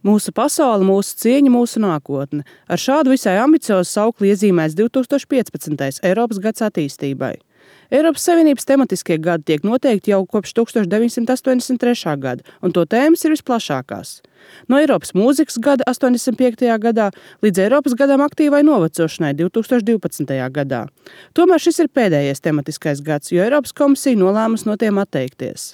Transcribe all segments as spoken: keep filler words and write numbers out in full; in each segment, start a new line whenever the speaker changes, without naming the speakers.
Mūsu pasaule, mūsu cieņa, mūsu nākotne. Ar šādu visai ambiciozu saukli iezīmēs divi tūkstoši piecpadsmitais Eiropas gads attīstībai. Eiropas Savienības tematiskie gadi tiek noteikti jau kopš tūkstoš deviņsimt astoņdesmit trešā gada, un to tēmas ir visplašākās. No Eiropas mūzikas gada astoņdesmit piektajā gadā līdz Eiropas gadam aktīvai novecošanai divi tūkstoši divpadsmitajā gadā. Tomēr šis ir pēdējais tematiskais gads, jo Eiropas komisija nolēmusi no tiem atteikties.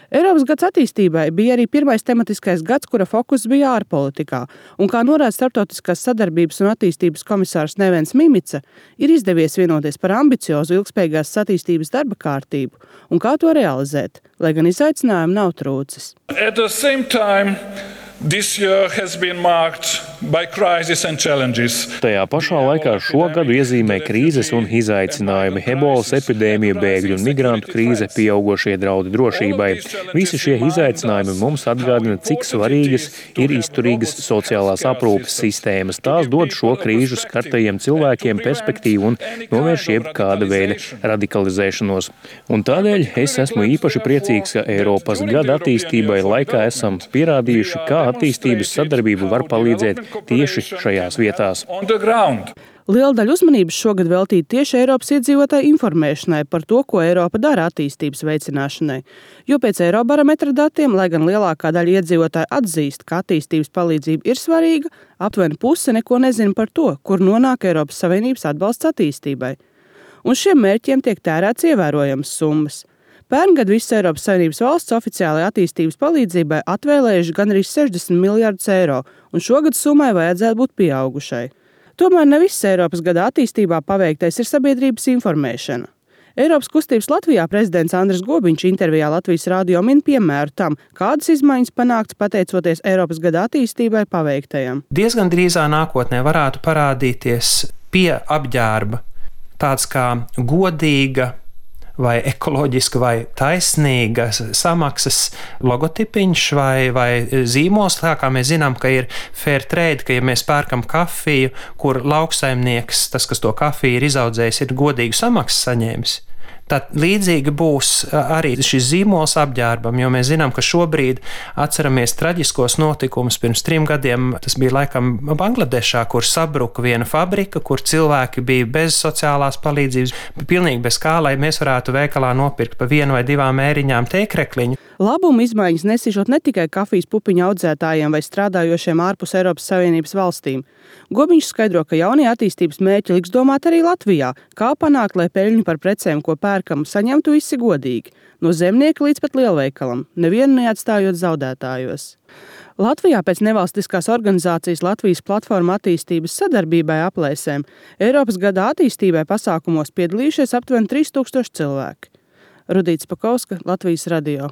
Eiropas gads attīstībai bija arī pirmais tematiskais gads, kura fokus bija ārpolitikā, un kā norāda Starptautiskās sadarbības un attīstības komisārs Nevens Mimica, ir izdevies vienoties par ambiciozu ilgspējīgās attīstības darba kārtību un kā to realizēt, lai gan izaicinājumi nav trūcis.
At the same time, this year has been marked by crises and challenges.
Tajā pašā laikā šo gadu iezīmē krīzes un izaicinājumi, ebolas epidēmija, bēgļu un migrantu krīze, pieaugošie draudi drošībai. Visi šie izaicinājumi mums atgādina, cik svarīgas ir izturīgas sociālās aprūpes sistēmas. Tās dod šo krīžu skartajiem cilvēkiem perspektīvu un novērš jebkāda veida radikalizēšanos. Un tādēļ es esmu īpaši priecīgs, ka Eiropas gada attīstībai laikā esam pierādījuši, kā attīstības sadarbība var palīdzēt tieši šajās vietās.
Liela daļa uzmanības šogad veltīta tieši Eiropas iedzīvotāju informēšanai par to, ko Eiropa dara attīstības veicināšanai. Jo pēc Eirobarometra datiem, lai gan lielākā daļa iedzīvotāju atzīst, ka attīstības palīdzība ir svarīga, aptuveni puse neko nezina par to, kur nonāk Eiropas Savienības atbalsts attīstībai. Un šiem mērķiem tiek tērēts ievērojams summas. Pērngad visas Eiropas Savienības valsts oficiālajai attīstības palīdzībai atvēlējuši gandrīz sešdesmit miljardus eiro, un šogad summai vajadzētu būt pieaugušai. Tomēr ne viss Eiropas gada attīstībā paveiktais ir sabiedrības informēšana. Eiropas kustības Latvijā prezidents Andris Gobiņš intervijā Latvijas radio min piemēru tam, kādas izmaiņas panāktas pateicoties Eiropas gada attīstībai paveiktajam.
Diezgan drīzā nākotnē varētu parādīties pie apģērba tāds kā godīga vai ekoloģiska vai taisnīga samaksas logotipiņš vai, vai zīmols, tā kā mēs zinām, ka ir fair trade, ka ja mēs pērkam kafiju, kur lauksaimnieks, tas, kas to kafiju ir izaudzējis, ir godīgu samaksu saņēmis. Tad līdzīgi būs arī šis zīmols apģērbam, jo mēs zinām, ka šobrīd atceramies traģiskos notikumus pirms trim gadiem. Tas bija laikam Bangladešā, kur sabruka viena fabrika, kur cilvēki bija bez sociālās palīdzības, pilnīgi bez kā, lai mēs varētu veikalā nopirkt pa vienu vai divām ēriņām tēkrekliņu.
Labumu izmaiņas nesīšot ne tikai kafijas pupiņu audzētājiem vai strādājošiem ārpus Eiropas Savienības valstīm. Gobiņš skaidro, ka jaunie attīstības mērķi liks domāt arī Latvijā, kā panākt, lai peļņu par precēm, ko pērkam, saņemtu visi godīgi, no zemnieka līdz pat lielveikalam, nevienu neatstājot zaudētājos. Latvijā pēc nevalstiskās organizācijas Latvijas platforma attīstības sadarbībai aplēsēm Eiropas gada attīstībai pasākumos piedalījušies aptuveni trīs tūkstoši cilvēki. Rudīts Pakauska, Latvijas radio.